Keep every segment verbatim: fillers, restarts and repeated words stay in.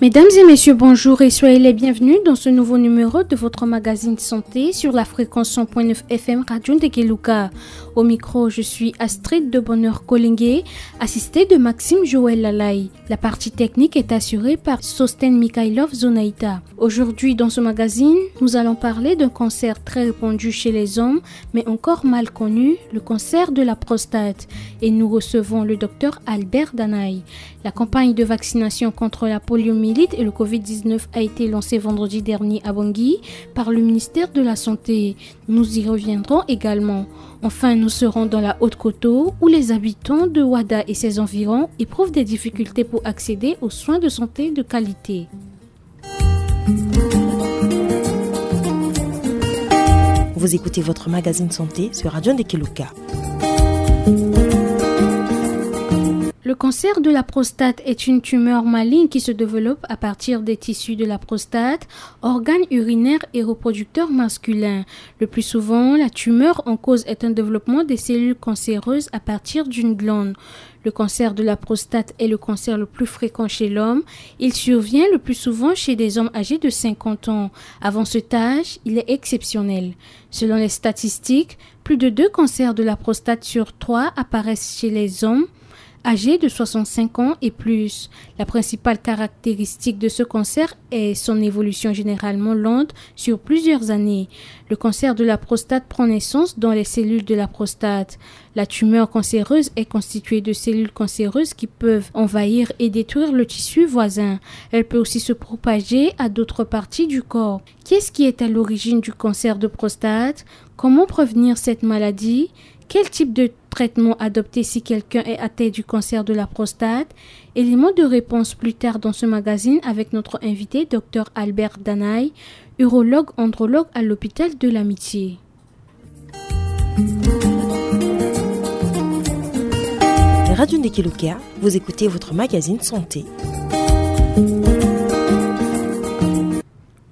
Mesdames et messieurs, bonjour et soyez les bienvenus dans ce nouveau numéro de votre magazine santé sur la fréquence cent point neuf F M Radio Ndekeluka. Au micro, je suis Astrid de Bonheur Kolenge, assistée de Maxime Joël Lalay. La partie technique est assurée par Sosten Mikhailov Zonaita. Aujourd'hui, dans ce magazine, nous allons parler d'un cancer très répandu chez les hommes, mais encore mal connu, le cancer de la prostate. Et nous recevons le docteur Albert Danaï. La campagne de vaccination contre la poliomyélite et le covid dix-neuf a été lancée vendredi dernier à Bangui par le ministère de la Santé. Nous y reviendrons également. Enfin, nous serons dans la Haute-Koto, où les habitants de Wada et ses environs éprouvent des difficultés pour accéder aux soins de santé de qualité. Vous écoutez votre magazine santé sur Radio Ndekeluka. Le cancer de la prostate est une tumeur maligne qui se développe à partir des tissus de la prostate, organe urinaire et reproducteur masculin. Le plus souvent, la tumeur en cause est un développement des cellules cancéreuses à partir d'une glande. Le cancer de la prostate est le cancer le plus fréquent chez l'homme. Il survient le plus souvent chez des hommes âgés de cinquante ans. Avant cet âge, il est exceptionnel. Selon les statistiques, plus de deux cancers de la prostate sur trois apparaissent chez les hommes âgés de soixante-cinq ans et plus. La principale caractéristique de ce cancer est son évolution généralement lente sur plusieurs années. Le cancer de la prostate prend naissance dans les cellules de la prostate. La tumeur cancéreuse est constituée de cellules cancéreuses qui peuvent envahir et détruire le tissu voisin. Elle peut aussi se propager à d'autres parties du corps. Qu'est-ce qui est à l'origine du cancer de prostate ? Comment prévenir cette maladie ? Quel type de traitement adopter si quelqu'un est atteint du cancer de la prostate ? Éléments de réponse plus tard dans ce magazine avec notre invité, docteur Albert Danaï, urologue andrologue à l'hôpital de l'Amitié. Radio Ndekeluka, vous écoutez votre magazine santé.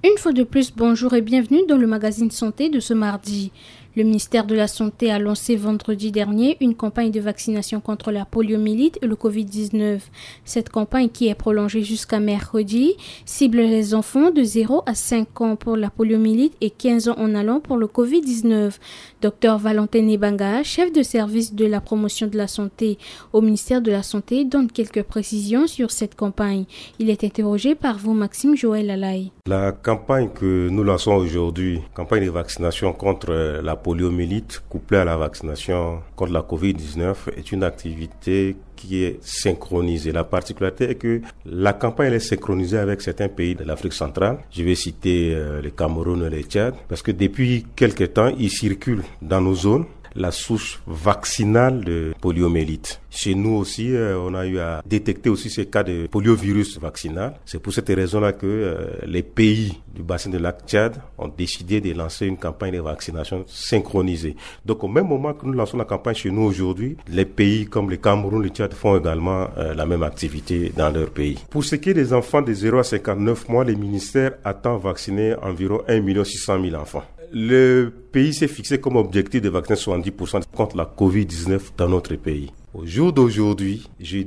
Une fois de plus, bonjour et bienvenue dans le magazine santé de ce mardi. Le ministère de la Santé a lancé vendredi dernier une campagne de vaccination contre la poliomyélite et le covid dix-neuf. Cette campagne, qui est prolongée jusqu'à mercredi, cible les enfants de zéro à cinq ans pour la poliomyélite et quinze ans en allant pour le covid dix-neuf. Docteur Valentin Nebanga, chef de service de la promotion de la santé au ministère de la Santé, donne quelques précisions sur cette campagne. Il est interrogé par vous, Maxime Joël Lalay. La campagne que nous lançons aujourd'hui, campagne de vaccination contre la poliomyélite couplée à la vaccination contre la covid dix-neuf, est une activité qui est synchronisée. La particularité est que la campagne, elle est synchronisée avec certains pays de l'Afrique centrale. Je vais citer, euh, le Cameroun et le Tchad, parce que depuis quelque temps, il circule dans nos zones la souche vaccinale de poliomyélite. Chez nous aussi, euh, on a eu à détecter aussi ces cas de poliovirus vaccinal. C'est pour cette raison-là que, euh, les pays du bassin de lac Tchad ont décidé de lancer une campagne de vaccination synchronisée. Donc, au même moment que nous lançons la campagne chez nous aujourd'hui, les pays comme le Cameroun, le Tchad font également, euh, la même activité dans leur pays. Pour ce qui est des enfants de zéro à cinquante-neuf mois, le ministère attend vacciner environ un million six cent mille enfants. Le pays s'est fixé comme objectif de vacciner soixante-dix pour cent contre la covid dix-neuf dans notre pays. Au jour d'aujourd'hui, je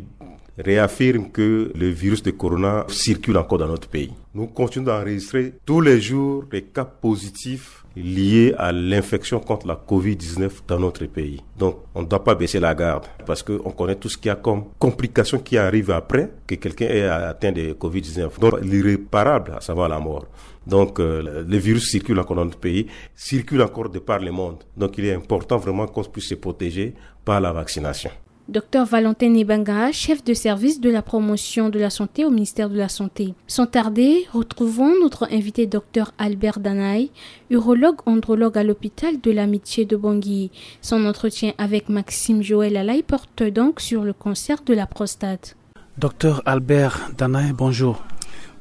réaffirme que le virus de corona circule encore dans notre pays. Nous continuons d'enregistrer tous les jours des cas positifs liés à l'infection contre la covid dix-neuf dans notre pays. Donc, on ne doit pas baisser la garde parce qu'on connaît tout ce qu'il y a comme complications qui arrivent après que quelqu'un ait atteint de covid dix-neuf. Donc, l'irréparable, à savoir la mort. Donc, euh, le virus circule encore dans notre pays, circule encore de par le monde. Donc, il est important vraiment qu'on puisse se protéger par la vaccination. Docteur Valentin Nebanga, chef de service de la promotion de la santé au ministère de la Santé. Sans tarder, retrouvons notre invité, docteur Albert Danaï, urologue andrologue à l'hôpital de l'Amitié de Bangui. Son entretien avec Maxime Joël Lalay porte donc sur le cancer de la prostate. Docteur Albert Danaï, bonjour.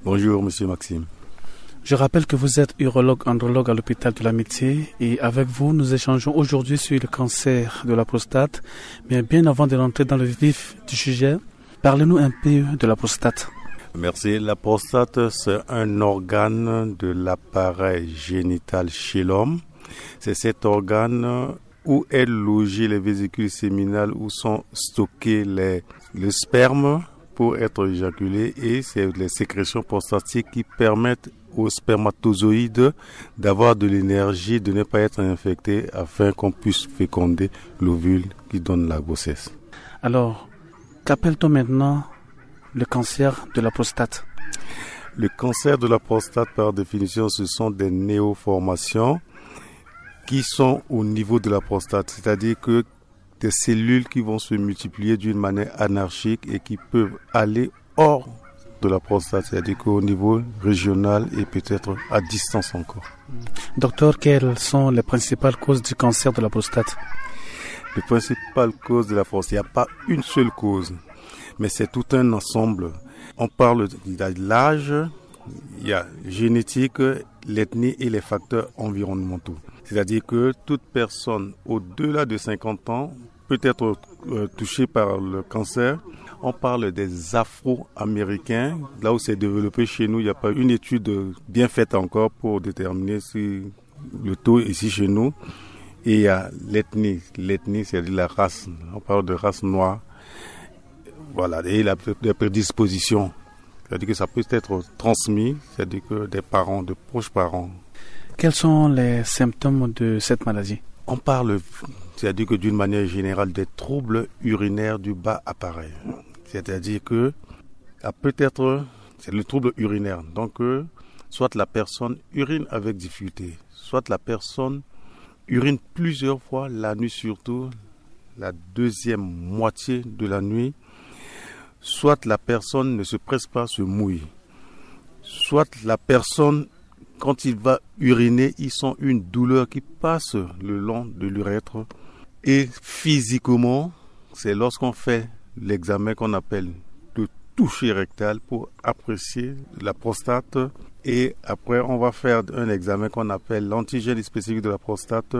Bonjour, monsieur Maxime. Je rappelle que vous êtes urologue andrologue à l'hôpital de l'Amitié et avec vous, nous échangeons aujourd'hui sur le cancer de la prostate. Mais bien avant de rentrer dans le vif du sujet, parlez-nous un peu de la prostate. Merci. La prostate, c'est un organe de l'appareil génital chez l'homme. C'est cet organe où est logée les vésicules séminales, où sont stockés les, le sperme pour être éjaculé et c'est les sécrétions prostatiques qui permettent aux spermatozoïdes d'avoir de l'énergie, de ne pas être infectés afin qu'on puisse féconder l'ovule qui donne la grossesse. Alors, qu'appelle-t-on maintenant le cancer de la prostate ? Le cancer de la prostate, par définition, ce sont des néoformations qui sont au niveau de la prostate, c'est-à-dire que des cellules qui vont se multiplier d'une manière anarchique et qui peuvent aller hors de la prostate, c'est-à-dire qu'au niveau régional et peut-être à distance encore. Docteur, quelles sont les principales causes du cancer de la prostate ? Les principales causes de la prostate, il n'y a pas une seule cause, mais c'est tout un ensemble. On parle de l'âge, il y a génétique, l'ethnie et les facteurs environnementaux. C'est-à-dire que toute personne au-delà de cinquante ans peut être euh, touchée par le cancer. On parle des Afro-Américains. Là où c'est développé chez nous, il n'y a pas une étude bien faite encore pour déterminer si le taux ici chez nous. Et il y a l'ethnie. L'ethnie, c'est-à-dire la race. On parle de race noire. Voilà, et la, la prédisposition. C'est-à-dire que ça peut être transmis, c'est-à-dire que des parents, de proches parents. Quels sont les symptômes de cette maladie ? On parle, c'est-à-dire que d'une manière générale, des troubles urinaires du bas appareil. C'est-à-dire que ça peut être, c'est le trouble urinaire. Donc, euh, soit la personne urine avec difficulté, soit la personne urine plusieurs fois la nuit, surtout la deuxième moitié de la nuit, soit la personne ne se presse pas, se mouille, soit la personne, quand il va uriner, il sent une douleur qui passe le long de l'urètre. Et physiquement, c'est lorsqu'on fait l'examen qu'on appelle le toucher rectal pour apprécier la prostate. Et après, on va faire un examen qu'on appelle l'antigène spécifique de la prostate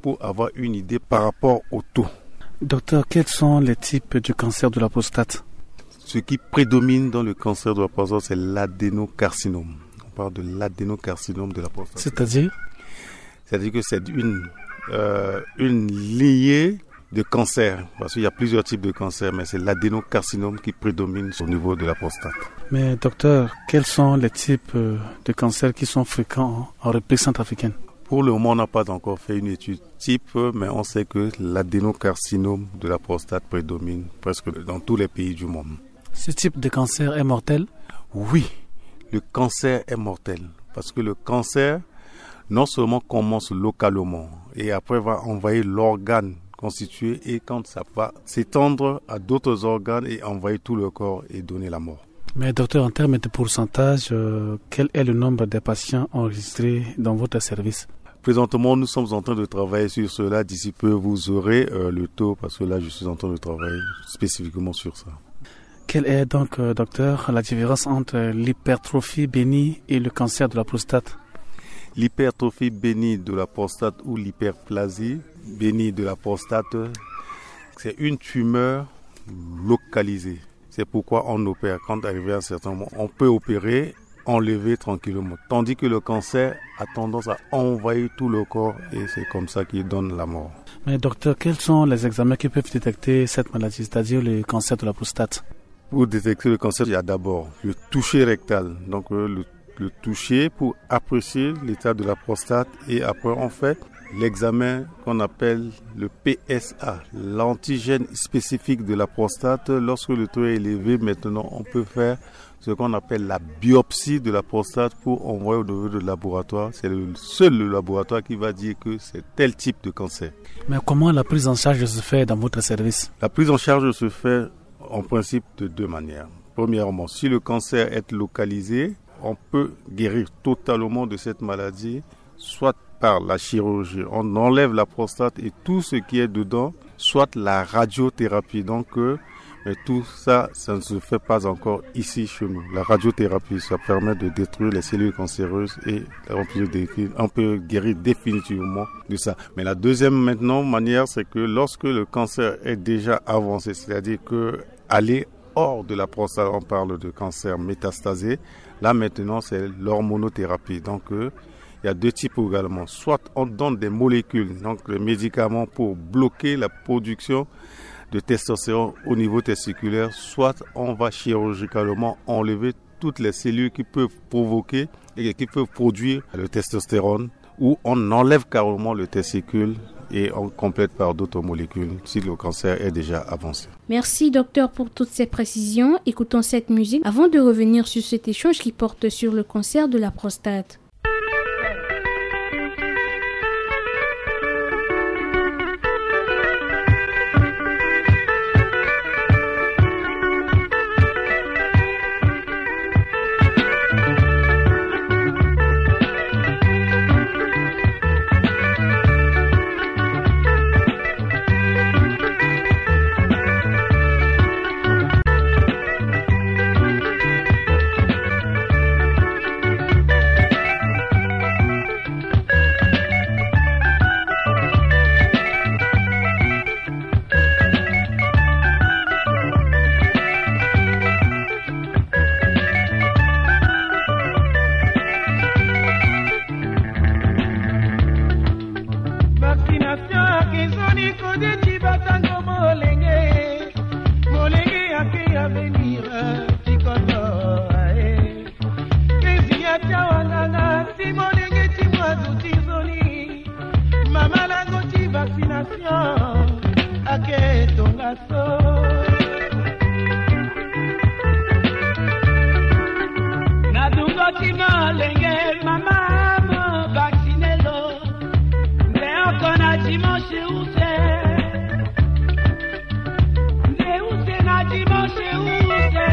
pour avoir une idée par rapport au taux. Docteur, quels sont les types du cancer de la prostate ? Ce qui prédomine dans le cancer de la prostate, c'est l'adénocarcinome. On parle de l'adénocarcinome de la prostate. C'est-à-dire ? C'est-à-dire que c'est une, euh, une lignée de cancer, parce qu'il y a plusieurs types de cancer, mais c'est l'adénocarcinome qui prédomine au niveau de la prostate. Mais docteur, quels sont les types euh, de cancers qui sont fréquents en République centrafricaine ? Pour le moment, on n'a pas encore fait une étude type, mais on sait que l'adénocarcinome de la prostate prédomine presque dans tous les pays du monde. Ce type de cancer est mortel ? Oui, le cancer est mortel, parce que le cancer non seulement commence localement et après va envahir l'organe constitué, et quand ça va s'étendre à d'autres organes et envahir tout le corps et donner la mort. Mais docteur, en termes de pourcentage, euh, quel est le nombre des patients enregistrés dans votre service ? Présentement, nous sommes en train de travailler sur cela. D'ici peu, vous aurez euh, le taux, parce que là, je suis en train de travailler spécifiquement sur ça. Quelle est donc, euh, docteur, la différence entre l'hypertrophie bénigne et le cancer de la prostate ? L'hypertrophie bénigne de la prostate ou l'hyperplasie bénigne de la prostate, c'est une tumeur localisée. C'est pourquoi on opère. Quand arrivé à un certain moment, on peut opérer, enlever tranquillement. Tandis que le cancer a tendance à envahir tout le corps et c'est comme ça qu'il donne la mort. Mais docteur, quels sont les examens qui peuvent détecter cette maladie, c'est-à-dire le cancer de la prostate ? Pour détecter le cancer, il y a d'abord le toucher rectal, donc euh, le, le toucher pour apprécier l'état de la prostate, et après on fait l'examen qu'on appelle le P S A, l'antigène spécifique de la prostate. Lorsque le taux est élevé, maintenant on peut faire ce qu'on appelle la biopsie de la prostate pour envoyer au niveau de laboratoire. C'est le seul le laboratoire qui va dire que c'est tel type de cancer. Mais comment la prise en charge se fait dans votre service ? La prise en charge se fait en principe de deux manières. Premièrement, si le cancer est localisé, on peut guérir totalement de cette maladie, soit par la chirurgie, on enlève la prostate et tout ce qui est dedans, soit la radiothérapie. Donc, euh, mais tout ça, ça ne se fait pas encore ici chez nous. La radiothérapie, ça permet de détruire les cellules cancéreuses et on peut, défi- on peut guérir définitivement de ça. Mais la deuxième maintenant manière, c'est que lorsque le cancer est déjà avancé, c'est-à-dire que aller hors de la prostate, on parle de cancer métastasé. Là maintenant, c'est l'hormonothérapie. Donc, euh, il y a deux types également. Soit on donne des molécules, donc les médicaments pour bloquer la production de testostérone au niveau testiculaire, soit on va chirurgicalement enlever toutes les cellules qui peuvent provoquer et qui peuvent produire le testostérone, ou on enlève carrément le testicule et on complète par d'autres molécules si le cancer est déjà avancé. Merci, docteur, pour toutes ces précisions. Écoutons cette musique avant de revenir sur cet échange qui porte sur le cancer de la prostate. Vaccination akezoni kodeti batango molenge. Molenge ake avenir tikoto ae. Kezi ya tia wanganga si molenge ti mwa zuti zoni. Mama lango ti vaccination ake tonga so. Na dungo ti molenge mama mo vacciné lo. Nde oko na dimanche use. Nde use na dimanche use.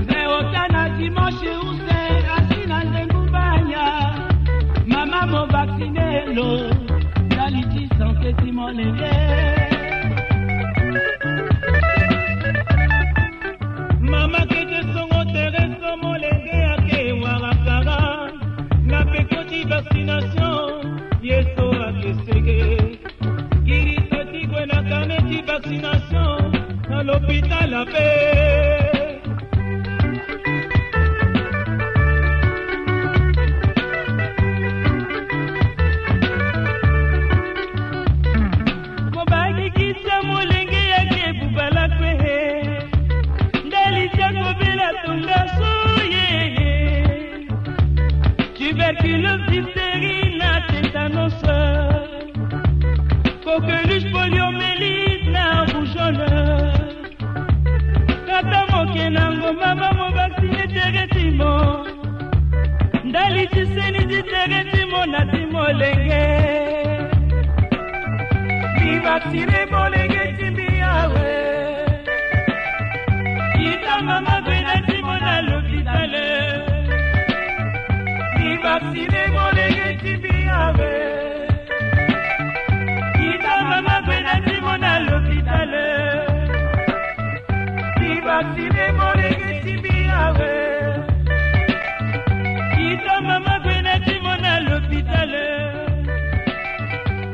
Nde ota na dimanche use. Asi na ndengu banya. Mama mo vacciné lo. Ndali ti santé ti molenge. Mama kete songo tere so molenge ake wara kara. Na peko ti vaccination ye so ake sege. Kiri so ti gue na carnet ti vaccination na l'hôpital ape. Mo baki kisa molenge yake bubala kue. Ndali ti akobela tonga so yeye. Tuberculose, diphtérie na tétanos. Coqueluche, poliomyélite na rougeole. Kata moke na ngomba ba mo vacciné tere ti mo. Ndali ti seni ti tere ti mo na ti molenge. Mi vacciné molenge ti mbi awe. Kita mama gue na ti mo na l'hôpital. Mi vacciné molenge ti mbi awe. Kita mama gue na ti mo na l'hôpital. Mi vacciné molenge ti mbi awe. Kita mama gue na ti mo na l'hôpital.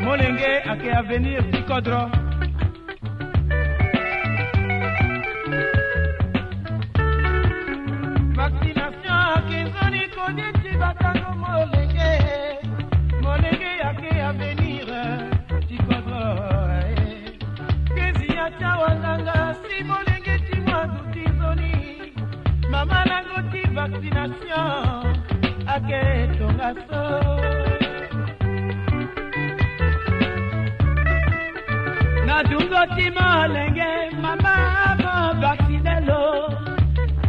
Molenge ake avenir ti kodro. Vaccination ake nzoni koni ti batango molenge. Molenge ake avenir ti kodro. Kezi ya tia wanganga si molenge ti mwa zuti zoni. Mama lango ti vaccination ake tonga so. Na dungo ti molenge mama mo vacciné lo.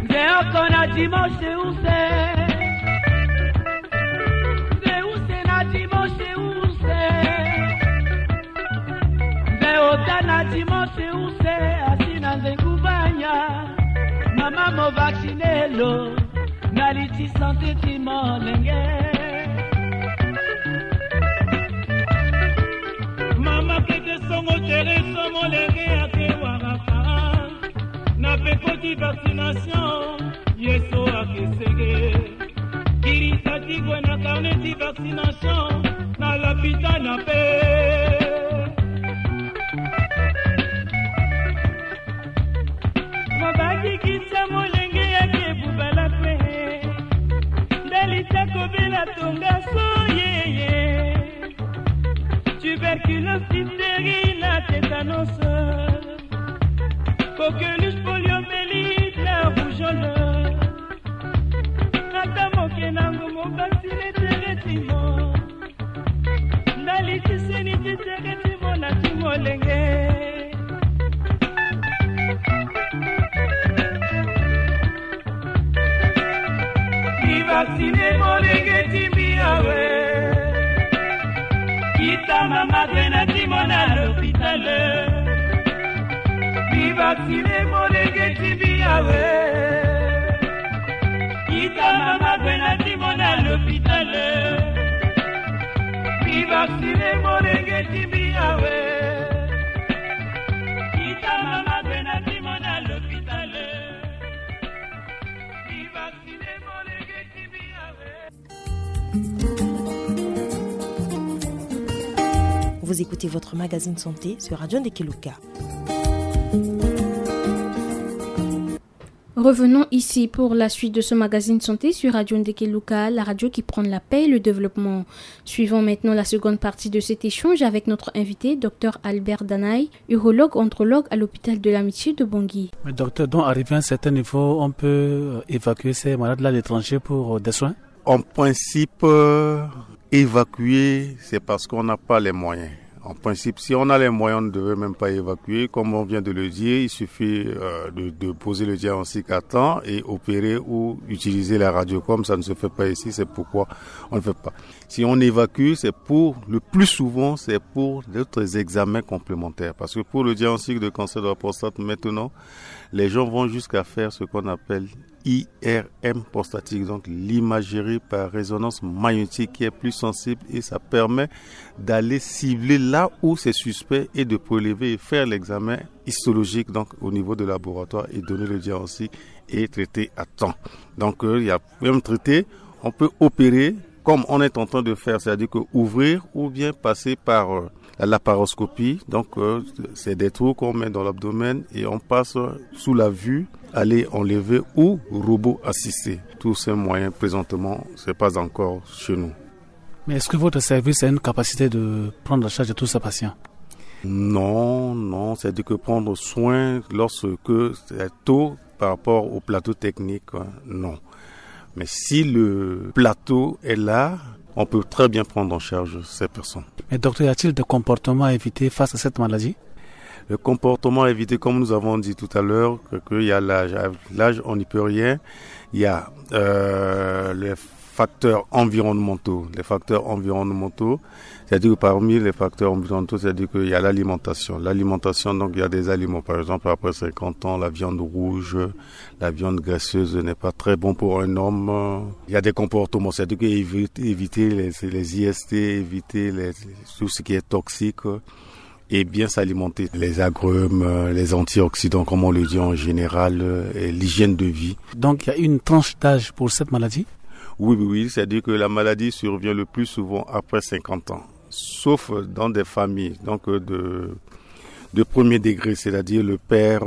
Nze oko na dimanche use. Nze use na dimanche use. Nze ota na dimanche use asi na nze kubanya. Mama mo vacciné lo. Ndali ti santé ti molenge. Mama kete songo tere so molenge ake wara kara. Na peko ti vaccination ye so ake sege. Kiri sa ti gue na carnet ti vaccination na l'hôpital ape. Mo baki kisa molenge yake bubala kue. Ndali ti akobela tonga so yeye. Tuberculose, diphtérie na Tétanos, coqueluche, poliomyélite, la rougeole. Ata moke na ngo mobasi le teretimo. Ndali tiseni ti teretimo na ti molenge. Bivaksine molenge ti mbi awe. Kita mama gwe na ti mo na lopitale. Bivaksine molenge ti mbi awe. Kita mama gwe na ti mo na lopitale. Bivaksine molenge ti mbi awe. Kita mama gwe na ti mo na lopitale. Bivaksine molenge ti mbi awe. Vous écoutez votre magazine santé sur Radio Ndekeluka. Revenons ici pour la suite de ce magazine santé sur Radio Ndekeluka, la radio qui prend la paix et le développement. Suivons maintenant la seconde partie de cet échange avec notre invité, Dr Albert Danaï, urologue andrologue à l'hôpital de l'Amitié de Bangui. Mais docteur, donc arrivé à un certain niveau, on peut euh, évacuer ces malades-là à l'étranger pour euh, des soins ? En principe, euh, évacuer, c'est parce qu'on n'a pas les moyens. En principe, si on a les moyens, on ne devrait même pas évacuer. Comme on vient de le dire, il suffit euh, de, de poser le diagnostic à temps et opérer ou utiliser la radio. Comme ça ne se fait pas ici, c'est pourquoi on ne fait pas. Si on évacue, c'est pour, le plus souvent, c'est pour d'autres examens complémentaires. Parce que pour le diagnostic de cancer de la prostate, maintenant, les gens vont jusqu'à faire ce qu'on appelle I R M prostatique, donc l'imagerie par résonance magnétique qui est plus sensible et ça permet d'aller cibler là où c'est suspect et de prélever et faire l'examen histologique donc au niveau de laboratoire et donner le diagnostic et traiter à temps. Donc euh, il y a même traité, on peut opérer comme on est en train de faire, c'est-à-dire que ouvrir ou bien passer par euh, la laparoscopie. Donc euh, c'est des trous qu'on met dans l'abdomen et on passe sous la vue, aller enlever ou robot assisté. Tous ces moyens présentement, c'est pas encore chez nous. Mais est-ce que votre service a une capacité de prendre en charge tous ces patients ? Non, non, c'est-à-dire que prendre soin lorsque c'est tôt par rapport au plateau technique, euh, non. Mais si le plateau est là, on peut très bien prendre en charge ces personnes. Mais docteur, y a-t-il des comportements à éviter face à cette maladie ? Le comportement à éviter, comme nous avons dit tout à l'heure, que, que y a l'âge. Avec l'âge, on n'y peut rien. Il y a euh, les facteurs environnementaux. Les facteurs environnementaux, c'est-à-dire que parmi les facteurs environnementaux, c'est-à-dire qu'il y a l'alimentation. L'alimentation, donc il y a des aliments, par exemple, après cinquante ans, la viande rouge, la viande graisseuse n'est pas très bon pour un homme. Il y a des comportements, c'est-à-dire éviter les, les I S T, éviter les, tout ce qui est toxique et bien s'alimenter. Les agrumes, les antioxydants, comme on le dit en général, et l'hygiène de vie. Donc il y a une tranche d'âge pour cette maladie ? Oui, oui, oui, c'est-à-dire que la maladie survient le plus souvent après cinquante ans, sauf dans des familles donc de de premier degré, c'est-à-dire le père,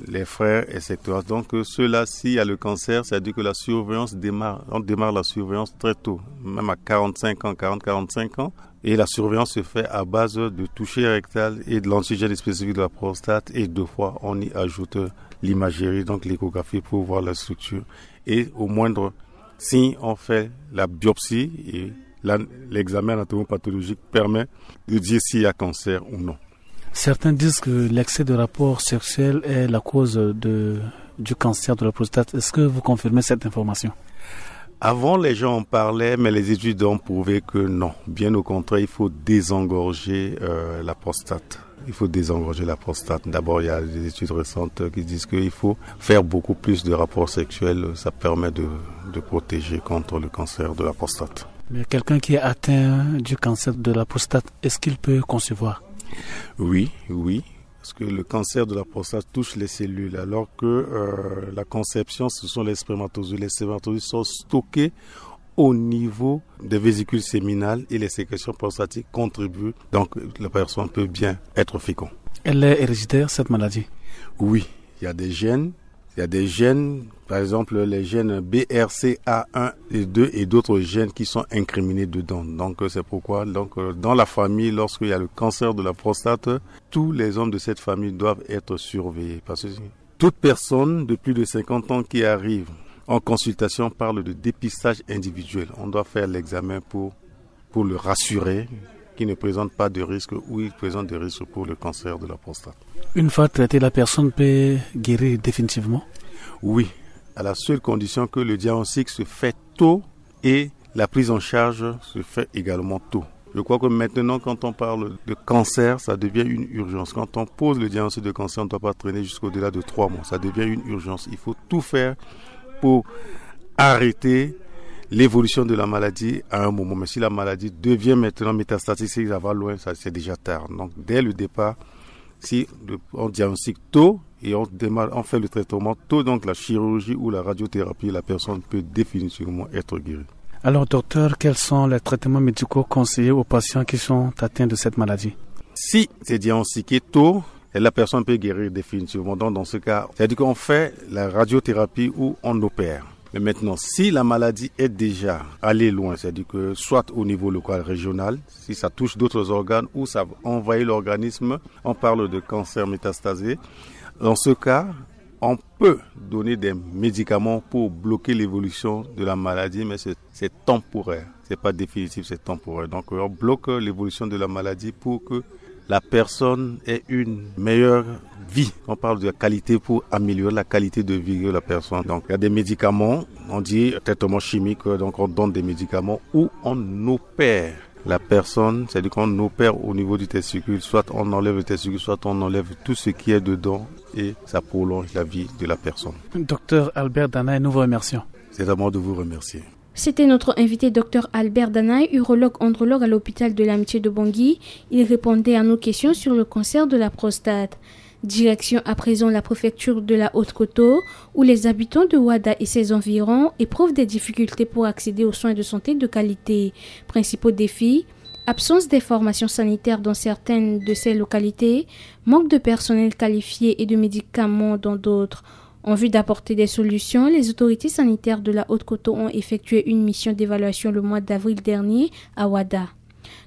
les frères, et cetera. Donc euh, ceux-là, s'il y a le cancer, c'est-à-dire que la surveillance démarre, on démarre la surveillance très tôt, même à quarante-cinq ans, quarante, quarante-cinq ans. Et la surveillance se fait à base de toucher rectal et de l'antigène spécifique de la prostate. Et deux fois, on y ajoute l'imagerie, donc l'échographie pour voir la structure. Et au moindre signe, on fait la biopsie et l'examen anatomopathologique permet de dire s'il y a cancer ou non. Certains disent que l'excès de rapports sexuels est la cause de, du cancer de la prostate. Est-ce que vous confirmez cette information ? Avant, les gens en parlaient, mais les études ont prouvé que non. Bien au contraire, il faut désengorger euh, la prostate. Il faut désengorger la prostate. D'abord, il y a des études récentes qui disent qu'il faut faire beaucoup plus de rapports sexuels. Ça permet de, de protéger contre le cancer de la prostate. Mais quelqu'un qui est atteint du cancer de la prostate, est-ce qu'il peut concevoir ? Oui, oui. Parce que le cancer de la prostate touche les cellules, alors que euh, la conception, ce sont les spermatozoïdes. Les spermatozoïdes sont stockés au niveau des vésicules séminales et les sécrétions prostatiques contribuent. Donc, la personne peut bien être fécond. Elle est héréditaire, cette maladie ? Oui, il y a des gènes Il y a des gènes, par exemple les gènes B R C A un et deux et d'autres gènes qui sont incriminés dedans. Donc euh, c'est pourquoi donc, euh, dans la famille, lorsqu'il y a le cancer de la prostate, tous les hommes de cette famille doivent être surveillés. Parce que toute personne de plus de cinquante ans qui arrive en consultation parle de dépistage individuel. On doit faire l'examen pour, pour le rassurer qu'il ne présente pas de risque ou il présente des risques pour le cancer de la prostate. Une fois traité, la personne peut guérir définitivement ? Oui, à la seule condition que le diagnostic se fait tôt et la prise en charge se fait également tôt. Je crois que maintenant, quand on parle de cancer, ça devient une urgence. Quand on pose le diagnostic de cancer, on ne doit pas traîner jusqu'au-delà de trois mois. Ça devient une urgence. Il faut tout faire pour arrêter l'évolution de la maladie à un moment. Mais si la maladie devient maintenant métastatique, si ça va loin, ça c'est déjà tard. Donc dès le départ, si on diagnostique tôt et on démarre, on fait le traitement tôt, donc la chirurgie ou la radiothérapie, la personne peut définitivement être guérie. Alors, docteur, quels sont les traitements médicaux conseillés aux patients qui sont atteints de cette maladie ? Si c'est diagnostiqué tôt, et la personne peut guérir définitivement. Donc, dans ce cas, c'est-à-dire qu'on fait la radiothérapie ou on opère. Mais maintenant, si la maladie est déjà allée loin, c'est-à-dire que soit au niveau local, régional, si ça touche d'autres organes ou ça envahit l'organisme, on parle de cancer métastasé. Dans ce cas, on peut donner des médicaments pour bloquer l'évolution de la maladie, mais c'est temporaire. C'est pas définitif, c'est temporaire. Donc, on bloque l'évolution de la maladie pour que la personne ait une meilleure vie. On parle de la qualité pour améliorer la qualité de vie de la personne. Donc, il y a des médicaments, on dit traitement chimique, donc on donne des médicaments ou on opère la personne, c'est-à-dire qu'on opère au niveau du testicule, soit on enlève le testicule, soit on enlève tout ce qui est dedans et ça prolonge la vie de la personne. Docteur Albert Danaï, nous vous remercions. C'est à moi de vous remercier. C'était notre invité, docteur Albert Danaï, urologue andrologue à l'hôpital de l'Amitié de Bangui. Il répondait à nos questions sur le cancer de la prostate. Direction à présent la préfecture de la Haute-Koto, où les habitants de Ouada et ses environs éprouvent des difficultés pour accéder aux soins de santé de qualité. Principaux défis : absence des formations sanitaires dans certaines de ces localités, manque de personnel qualifié et de médicaments dans d'autres. En vue d'apporter des solutions, les autorités sanitaires de la Haute-Koto ont effectué une mission d'évaluation le mois d'avril dernier à Ouada.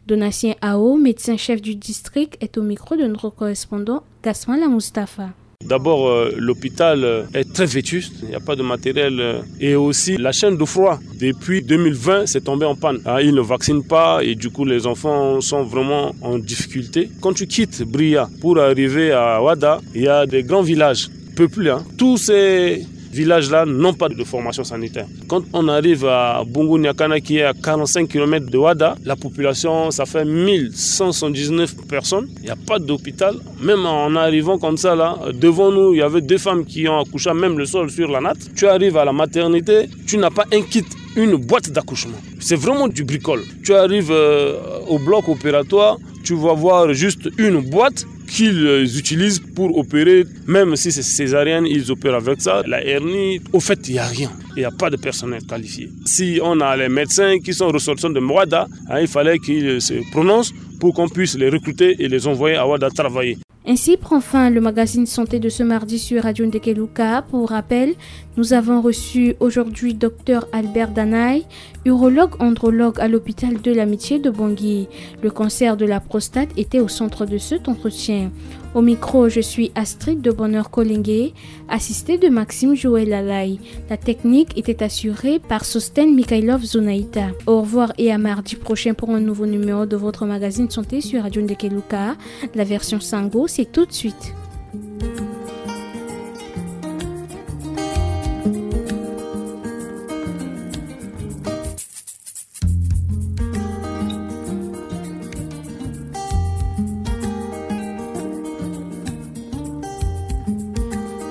Donatien Ao, médecin chef du district, est au micro de notre correspondant Gasman La Mustapha. D'abord, euh, l'hôpital, euh, est très vétuste, il n'y a pas de matériel, euh, et aussi la chaîne de froid, depuis deux mille vingt, c'est tombé en panne. Hein, ils ne vaccinent pas et du coup, les enfants sont vraiment en difficulté. Quand tu quittes Bria pour arriver à Ouada, il y a des grands villages peuplés, hein. Tous ces villages-là n'ont pas de formation sanitaire. Quand on arrive à Bungu Nyakana, qui est à quarante-cinq kilomètres de Ouada, la population, ça fait mille cent soixante-dix-neuf personnes. Il n'y a pas d'hôpital. Même en arrivant comme ça, là, devant nous, il y avait deux femmes qui ont accouché, même le sol sur la natte. Tu arrives à la maternité, tu n'as pas un kit, une boîte d'accouchement. C'est vraiment du bricole. Tu arrives, euh, au bloc opératoire, tu vas voir juste une boîte qu'ils, euh, utilisent pour opérer. Même si c'est césarienne, ils opèrent avec ça. La hernie, au fait, il n'y a rien. Il n'y a pas de personnel qualifié. Si on a les médecins qui sont ressortissants de Ouada, hein, il fallait qu'ils se prononcent pour qu'on puisse les recruter et les envoyer à Ouada travailler. Ainsi prend fin le magazine santé de ce mardi sur Radio Ndekeluka. Pour rappel, nous avons reçu aujourd'hui docteur Albert Danaï, urologue andrologue à l'hôpital de l'Amitié de Bangui. Le cancer de la prostate était au centre de cet entretien. Au micro, je suis Astrid de Bonheur Kolenge, assistée de Maxime Joël Lalay. La technique était assurée par Sosten Mikhailov Zonaïta. Au revoir et à mardi prochain pour un nouveau numéro de votre magazine santé sur Radio Ndekeluka. La version Sango, c'est tout de suite.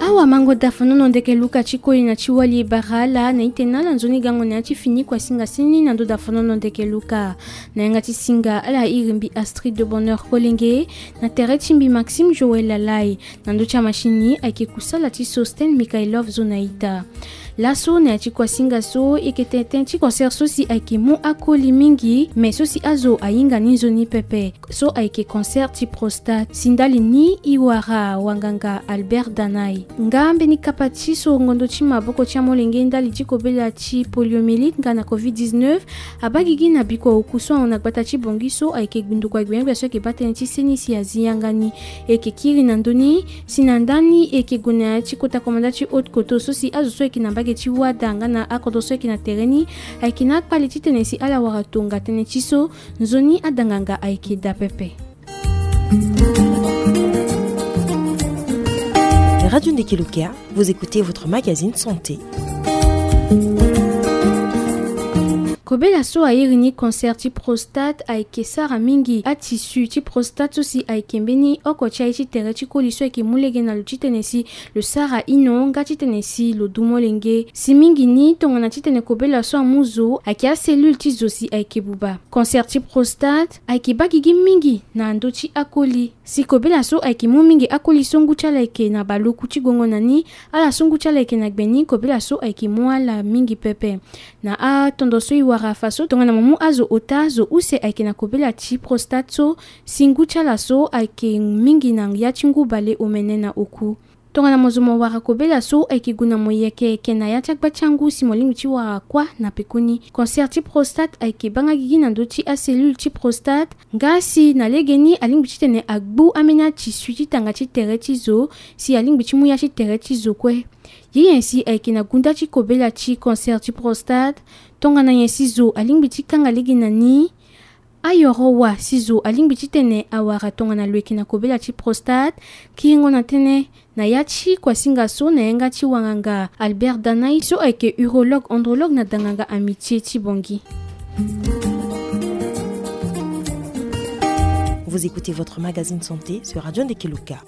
Awa mango dafonono Ndekeluka ti koli na ti wali bara ala na ite na ala nzoni gango na ya ti fini kua singa sini na ndo dafonono Ndekeluka. Na yanga ti singa ala iri mbi Astrid de Bonheur Kolenge, na tere ti mbi Maxime Joël Lalay, na ndo ti amashini ayeke kusala ti Sosten Mikhailov Zonaïta. Laso na ya ti kuasinga so e yeke tene tënë ti concert so si ayeke mu akoli mingi, me so si azo ahinga ni nzoni pepe, so ayeke concert ti prostate. Si ndali ni e wara wanganga Albert Danay. Nga mbeni kapa ti sorongo ndo ti maboko ti amolenge ndali ti kobela ti poliomyélite nga na covid dix-neuf abaa gigi na bikua oku so ahon na gbata ti Bangui so ayeke ndokua gbenyogbia so ayeke baa tënë ti seni si azi yanga ni. E yeke kiri na ndö ni si na ndani e yeke gue na ya ti kota komanda ti haute koto so si azo so ayeke na mbage ti wada nga na akodro so ayeke na tere ni ayeke na akpale titene si ala wara tonga tënë ti so nzoni ada nganga ayeke daa pepe. Radio Ndeke Luka, vous écoutez votre magazine santé. Kobela so a iri ni concert ti prostate ayeke sara mingi atissu ti prostate so si ayeke mbeni oko ti aye ti tere ti koli so ayeke mu lege na lo titene si lo sara ino nga titene si lo du molenge. Si mingi ni tongana titene kobela so amu zo ayeke acellule ti zo si ayeke buba. Concert ti prostate ayeke baa gigi mingi na ndö ti akoli. Si kobela so ayeke mu mingi akoli so ngu ti ala ayeke na baleoku ti gongo na ni, ala so ngu ti ala ayeke na gbe ni, kobela so ayeke mu ala mingi pepe. Na atondo so e wara fa so tongana mo mu azo ota, zo use ayeke na kobela ti prostate so si ngu ti ala so ayeke mingi na ya ti ngu baleomene na oku. Tongana mo zo mo wara kobela so ayeke gue na mo yeke yeke na ya ti agba ti angu si mo lingbi ti wara kuâ na pekoni. Concert ti prostate ayeke baa nga gigi na ndö ti acellule ti prostate. Nga si na legeni alingbi titene agbu ambeni atissu ti tanga ti tere ti zo si alingbi ti mu ya ti tere ti zo kue. Ye nyen si ayeke na gunda ti kobela ti concert ti prostate? Tongana nyen si zo alingbi ti kanga lege na ni? Ayoro wa si zo alingbi titene awara tongana lo yeke na kobela ti prostate? Kiringo na tënë na ya ti kuasinga so na yanga ti wanganga Albert Danay so ayeke urologue andrologue na danganga Amitié ti Bangui. Vous écoutez votre magazine santé sur Radio Ndeke Luka.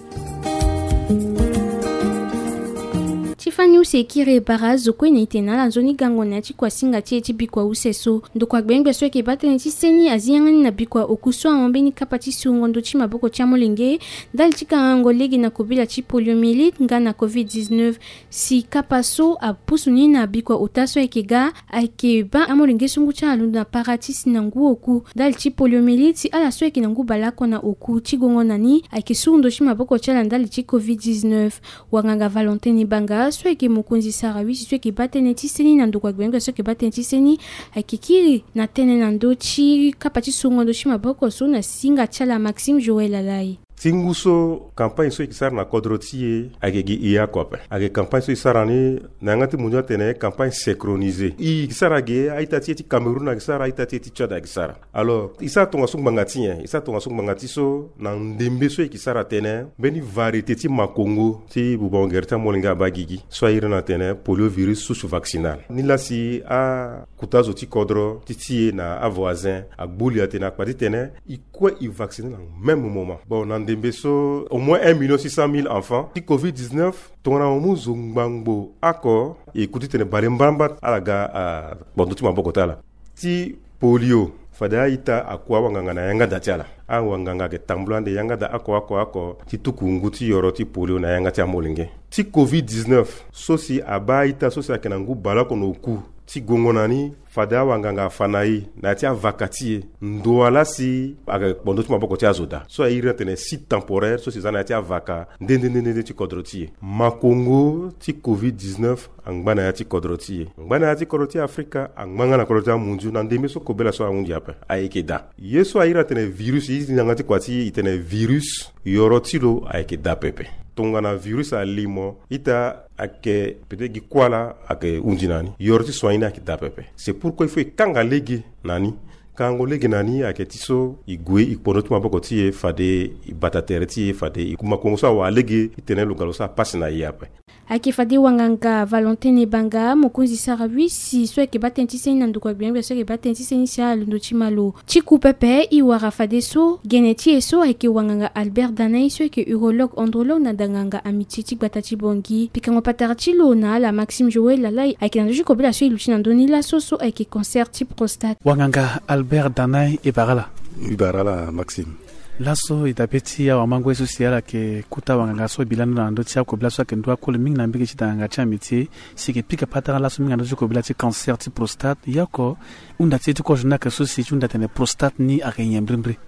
Ti fani use e kiri e bara azo kue na e tene na ala nzoni gango na ya ti kuasinga ti e ti bikua use so. Ndokua gbenyogbia so ayeke baa tënë ti seni azi yanga ni na bikua oku so ahon mbeni kapa ti surango ndo ti maboko ti amolenge ndali ti kangango lege na kobela ti poliomyélite nga na covid dix-neuf. Si kapa so apusu ni na bikua ota so ayeke ga, ayeke baa amolenge so ngu ti ala alondo na para ti si na ngu oku ndali ti poliomyélite si ala so ayeke na ngu baleoko na oku ti gongo na ni ayeke suru ndo ti maboko ti ala ndali ti covid dix-neuf. Wanganga Valentin Ebanga so ayeke mokonzi sara huit so ayeke baa tënë ti seni na ndokua gbenyogbia so ayeke baa tënë ti seni ayeke kiri na tënë na ndö ti kapa ti surango ndo ti maboko so na singa ti ala Maxime Joël Alai. Ti ngu so campagne so e yeke sara na kodro ti e ayeke gi e oko ape. Ayeke campagne so e sara ni na yanga ti mondio atene campagne synchronisée. E yeke sara ge a-ita ti e ti Cameroun ayeke sara, a-ita ti e ti Tchad ayeke sara. Alors e sara tongaso ngbanga ti nyen? E sara tongaso ngbanga ti so na ndembe so e yeke sara tene mbeni variété ti makongo ti bubango gere ti amolenge abaa gigi so a iri ni atene poliovirus souche vaccinale. Nilaa si akota zo ti kodro ti ti e na avoisin agbu li atene akpa titene e kue e vacciner na même moment. Bon, na ndembe so au moins un million six cent mille enfants ti covid dix-neuf. Tongana mo mu zo ngbangbo oko e ku titene bale mbarambara ala ga akpondo ti maboko ti ala. Ti polio, fade a-ita akua awanganga na yanga da ti ala. Awanganga ayeke tambula ande yanga da oko oko oko ti tuku ngu ti yoro ti polio na yanga ti amolenge. Ti covid dix-neuf so si abaa a-ita so si ayeke na ngu baleoko na oku ti gongo na ni, fade awanganga afa na e na ya ti avaka ti e. Ndo wa laa si ayeke kpondo ti maboko ti azo daa so a iri ni atene site temporaire so si e za na ya ti avaka nde nde nde nde ti kodro ti e. Makongo ti covid dix-neuf angba na ya ti kodro ti e, angba na ya ti kodro ti Afrika, angba nga na kodro ti amunzu. Na ndembe so kobela so ahunzi ape ayeke daa. Ye so a iri atene virus, e iri yanga ti kua ti e, e tene virus, yoro ti lo ayeke daa pepe. Tongana virus ali mo, ita ayeke peut-être gi kuâ laa ayeke hunzi na ni, yoro ti soigner ni ayeke daa pepe. C'est pourquoi il faut e kanga lege na ni. Kangango lege na ni ayeke ti so e gue e kpondo ti maboko ti e fade e bata tere ti e fade e kuma kongo so awara lege titene lo ga lo sara pasi na e ape. Ayeke fade wanganga Valentin Ebanga, mokonzi sara huit so ayeke baa tënë ti seni na ndokua gbenyogbia so ayeke baa tënë ti seni si alondo ti malo. Ti ku pepe, e wara fadeso gene ti e so ayeke wanganga Albert Danay so ayeke urologue andrologue na danganga Amitié ti gbata ti Bangui. Pikango patara ti lo na ala Maxime Joël Alai ayeke na ndö ti kobela so e luti na ndö ni laso so ayeke concert ti prostate. Wanganga Albert Danay, e bara ala. E bara ala Maxime. Laso e dabe ti awamango ye so si ala yeke kota wanganga so e bi lani na ndö ti akobela so ayeke ndu akoli mingi na mbege ti danganga ti amitié, si e yeke pika patara laso mingi na ndö ti kobela ti cancer ti prostate. Ye oko, hunda ti e ti kozo ni ayeke so si e ti hunda atene prostate ni ayeke nyen mbirimbiri?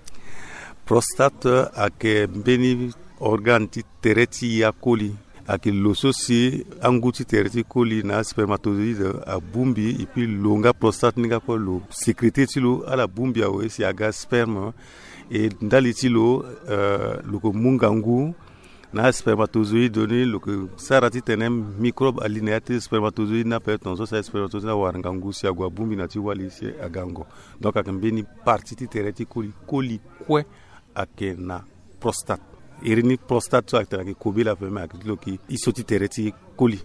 Prostate ayeke mbeni organe ti tere ti e akoli. Ayeke lo so si angu ti tere ti koli na aspermatozoïde abongbi, et puis lo nga prostate ni nga kue lo sécréter ti lo, ala bongbi awe si aga sperme. E ndali ti lo, euh, lo yeke mu ngangu na aspermatozoïde ni, lo yeke sara titene microbe ali na ya ti spermatozoïde ni ape, tongaso si aspermatozoïde ni awara ngangu si ague abongbi na ti wali si aga ngo. Donc ayeke mbeni partie ti tere ti koli, koli kue ayeke na prostate. Iri ni prostate so ayeke tene ayeke kobela ape, me ayeke ti lo yeke iso ti tere ti koli.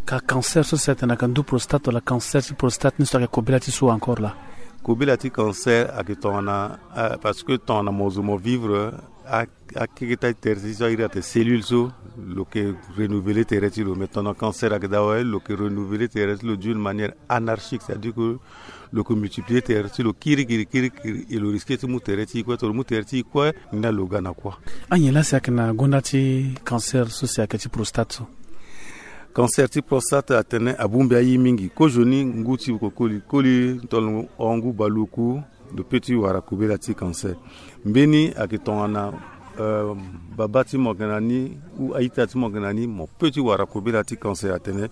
Ka cancer so si atene ayeke ndu prostate wala cancer ti prostate ni so ayeke kobela ti so encore la? Kobela ti cancer ayeke tongana, ah, parce que tongana mo zo mo vivre, ah, akeketa ti tere ti so a iri atene cellule so, lo yeke renouveler tere ti lo. Mais tongana cancer ayeke daa awe, lo yeke renouveler tere ti lo d'une manière anarchique, c'est-à-dire que lo yeke multiplier tere ti lo kirikiri kirikiri, et lo risquer ti mu tere ti e kue. Tongana lo mu tere ti e kue, ni laa lo ga na kuâ. Anyen laa si ayeke na gonda ti cancer so si ayeke ti prostate so? Cancer ti prostate atene abongbi aye mingi. Kozoni ngu ti kokoli, koli tongana o ngu baleoku, lo peut ti wara kobela ti cancer. Mbeni ayeke tongana, euh, babâ ti mo ayeke na ni ou a-ita ti mo ayeke na ni, mo peut ti wara kobela ti cancer atene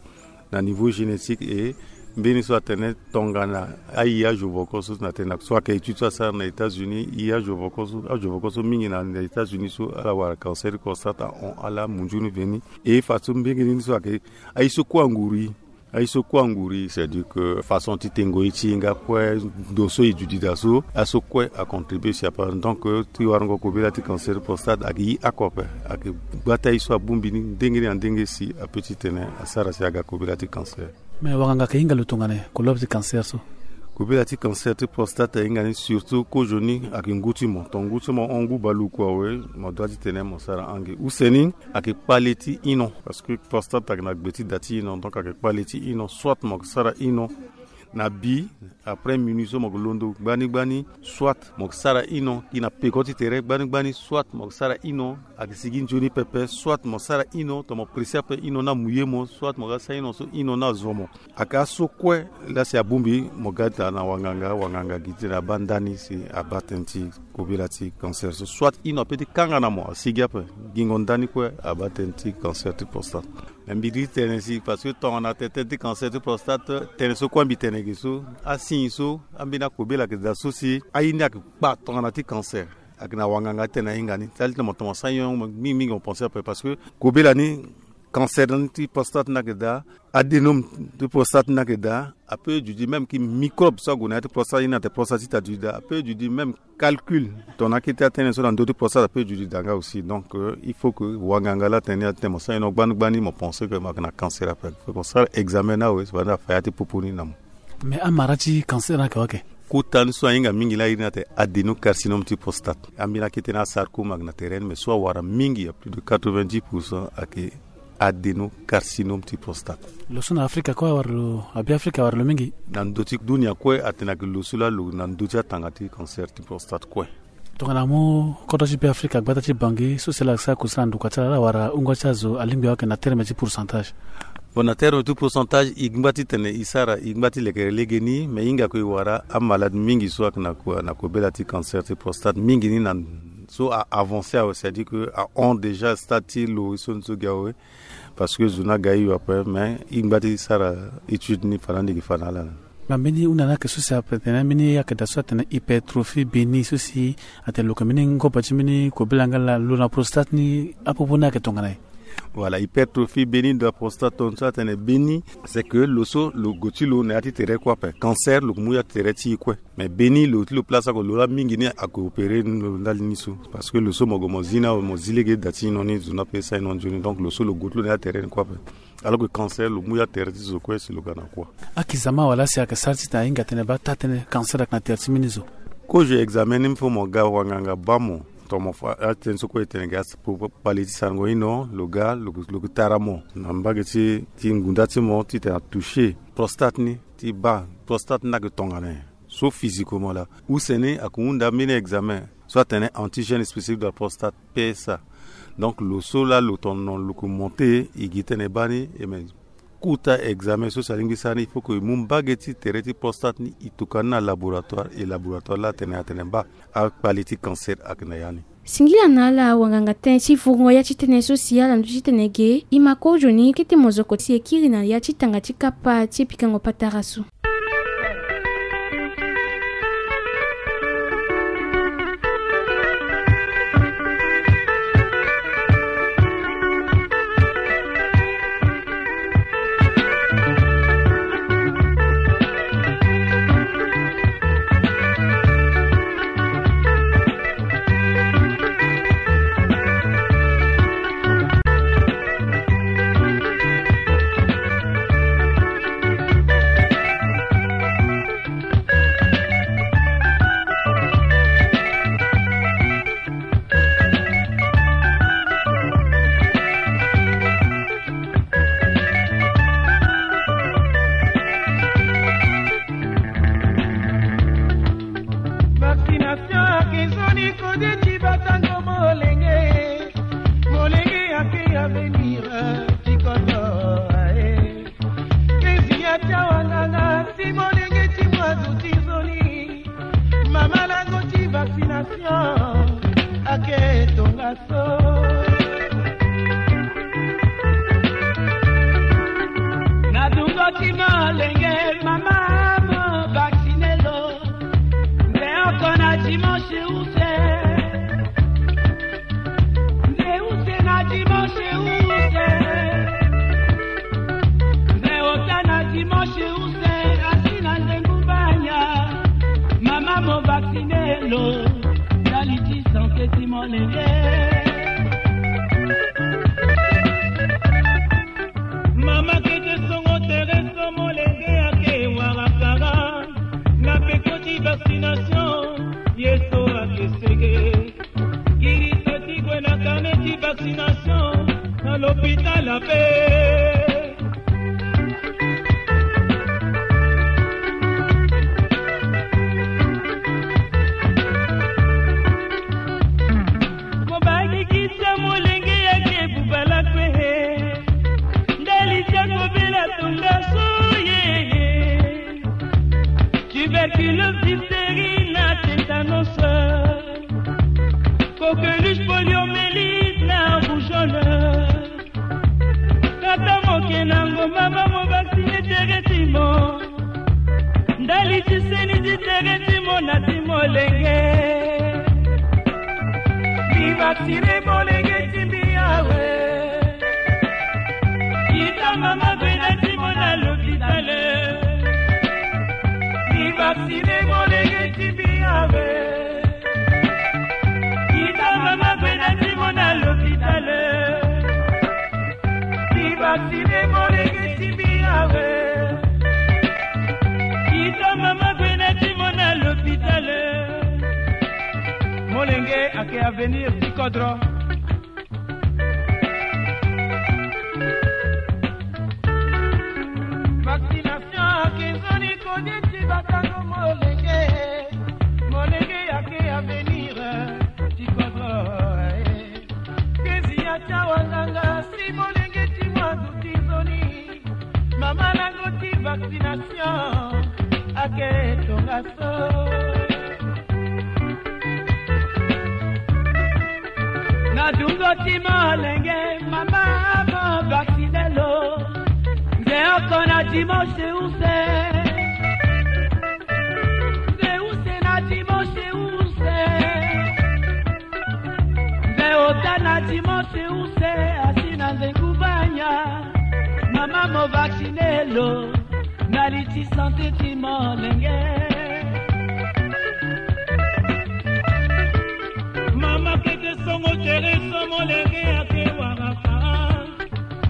na niveau génétique. Et mbeni so atene tongana aye azo voko so, na tene so ayeke étude so asara na États-Unis, e azo voko so, azo voko so mingi na, na États-Unis so ala wara cancer ti prostate ahon ala munzu ni veni. Et fadeso mbeni ni so ayeke aye so kue anguru e. Aye so kue anguru e, c'est-à-dire que façon ti tengo ye ti e nga kue, ndo so e duti daa so, aye so kue acontribuer si ape. Donc, euh, ti warango kobela ti cancer prostate ayeke ye oko ape. Ayeke gba ti aye so abongbi ni ndenge ni na ndenge si apeut ti tene asara si aga kobela ti cancer. Mais wanganga ayeke hinga lo tongana nyen kolobe ti cancer so? Kobela ti cancer ti prostate ahinga ni surtout kozoni ayeke ngu ti mo. Tongana ngu ti mo hon ngu baleoku awe, mo doit ti tene mo sara ange. Use ni ayeke kpale ti ino, parce que prostate ayeke na gbe ti da ti ino, donc ayeke kpale ti ino. Soit mo yeke sara ino na bi, après minuit so mo yeke londo gbani gbani, soit mo yeke sara ino gi na peko ti tere gbani gbani, soit mo yeke sara ino ayeke sigi nzoni pepe, soit mo sara ino tongana mo pressé ape ino ni amu ye mo, soit mo ga sara ino so ino ni azo mo. Ayeke aso kue laa si abongbi mo ga daa na wanganga, wanganga gi titene abaa ndani si abaa tënë ti kobela ti cancer so, soit ino apeut ti kanga na mo asigi ape. Gingo ndani kue abaa tënë ti cancer ti prostate. Me mbi di tene si, parce que tongana tënë ti cancer ti prostate, tënë so kue mbi tene ge so, asigne so, ambeni akobela ayeke daa so si aye ni ayeke kpa tongana ti cancer. Ayeke na wanganga ti tene ahinga ni. Ti ali titene mo toma sara nyon mingi mingi mo pensé ape, parce que kobela ni, cancer ni ti prostate ni ayeke daa, adénome ti prostate ni ayeke daa, apeut duti même ki microbe so ague na ya ti prostate, ye ni atene prostate ti ta duti daa, apeut duti même calcul tongana akete atënë so na ndö ti prostate apeut duti daa nga aussi. Donc, euh, il faut que wanganga laa atene ni atene mo sara ino gbani gbani, mo pensé que mo yeke na cancer ape. Faut que mo sara examen ni awe, si wala ni afa ya ti popo ni na mo. Mais amara ti cancer ni ayeke wa ke? Kota ni so ahinga mingi laa iri ni atene adénocarcinome ti prostate. Ambeni akete ni asarcome ayeke na tere ni, mais so awara mingi, à plus de quatre-vingt-dix pour cent ayeke adénocarcinome ti prostate. Lo so na Afrika kue awara lo, abi Afrika awara lo mingi. Na ndö ti dunia kue atene ayeke lo so laa lo na ndö ti atanga ti cancer ti prostate kue. Tongana amu kodro ti Be Afrika, gbata ti Bangui, so si ala sara kusala na ndokua ti ala, ala wara hungo ti azo alingbi awe ayeke na terme ti pourcentage? Bon, na terme ti pourcentage, e ngba ti tene e sara, e ngba ti lekere lege ni, mais e hinga kue e wara amalade mingi so ayeke na ko-, na kobela ti cancer ti prostate mingi ni na so a avancé awe, c'est-à-dire que ahon déjà stade ti lo e so ni so gi awe. Parce que zo ni aga e yo ape, mais e ngba ti sara étude ni fa na ni gi fa na ala na. Ma mbeni hunda ni ayeke so si ape tene mbeni ayeke daa so atene hypertrophie bénigne, so si atene lo yeke mbeni ngobo ti mbeni kobela nga laa lo na prostate ni, apopo ni ayeke tongana nyen? Voilà, hypertrophie bénigne de la prostate, tongaso atene bénigne, c'est que lo so lo gue ti lo na ya ti tere kue ape. Cancer lo yeke mu ya ti tere ti e kue. Mais bénigne lo ti lo place oko, lo laa mingi ni ayeke opéré lo ndali ni so. Parce que lo so mo gue mo zi ni awe, mo zi lege da ti ino ni, zo ni ape e sara ino nzoni. Donc lo so lo gue ti lo na ya tere ni kue ape. Alors que cancer lo mu ya tere ti zo kue si lo ga na kuâ. Akizama wala si ayeke sara titene ahinga tene baa taa tënë cancer ayeke na tere ti mbeni zo? Kozo examen ni, il faut mo ga wanganga baa mo. Tongana mo fa atënë so kue e tene ga, kpale ti sarango ino, lo ga, lo, lo yeke tara mo na mbage ti, ti ngunda ti mo titene atouché prostate ni, ti baa prostate ni ayeke tongana nyen. So physiquement laa. Use ni ayeke hunda mbeni examen. to atene antigène spécifique de la prostate, P S A. Donc lo so la lo tono lo ko monte, e gi tene baa ni, e me kota examen so si alingbi sara ni, il faut que e mu mbage ti tere ti prostate ni, e tokua ni na laboratoire, e laboratoire la atene, atene baa akpale ti cancer ayeke na ya ni. Singila na ala wanganga tënë ti vungo ya ti tënë so si ala ndu ti tene ge, e ma kozo ni kete mozoko si e kiri na ya ti tanga ti kapa ti pikango patara so. Vaccination ayeke nzoni kode ti batango molenge. Molenge ayeke avenir ti kodro aye. Kezi ya ti awanganga si molenge ti mwa zo ti nzoni. Mama lango ti vaccination ake tongaso. Na dungo ti molenge mama mo vaccine lo. Nze oko na dimanche use. Nze use na dimanche use. Nze ota na dimanche use, asi na nze ngumbanya. Mama mo vaccine lo, ndali ti santé ti molenge. Mama kete songo tere so molenge ake warakara. Na peko ti vaccination, ye so ake sege. Girisa ti gue na carnet ti vaccination na l'hôpital ape. Mo bangikisa molenge yake bubala kue. Ndali ti akobela tongaso yeye. Tuberculose, diphtérie na tétanos. Coqueluche, poliomyélite na rougeole. Tata moke na ngomba ba mo vaccine tere ti mo. Ndali ti seni ti tere ti mo na ti molenge. Mi vaccine molenge ti mbi awe. Kita mama gue na ti mo na l'hôpital. Mi vaccine molenge ti mbi awe. Kita mama gue na ti mo na l'hôpital. Mi vaccine molenge ti mbi awe. Kita mama gue na ti mo na l'hôpital. Molenge ake avenir ti kodro. Vaccination ake nzoni kode ti batango molenge. Molenge ake avenir ti kodro. Kezi ya ti awanganga si molenge ti mwa zo ti nzoni. Mama lango ti vaccination ake tongaso. Na dungo ti molenge mama mo vaccine lo. Nze oko na dimanche use. Nze use na dimanche use. Nze ota na dimanche use, asi na nze ngubanya. Mama mo vaccine lo, ndali ti santé ti molenge. Mama kete songo tere so molenge ake waraka.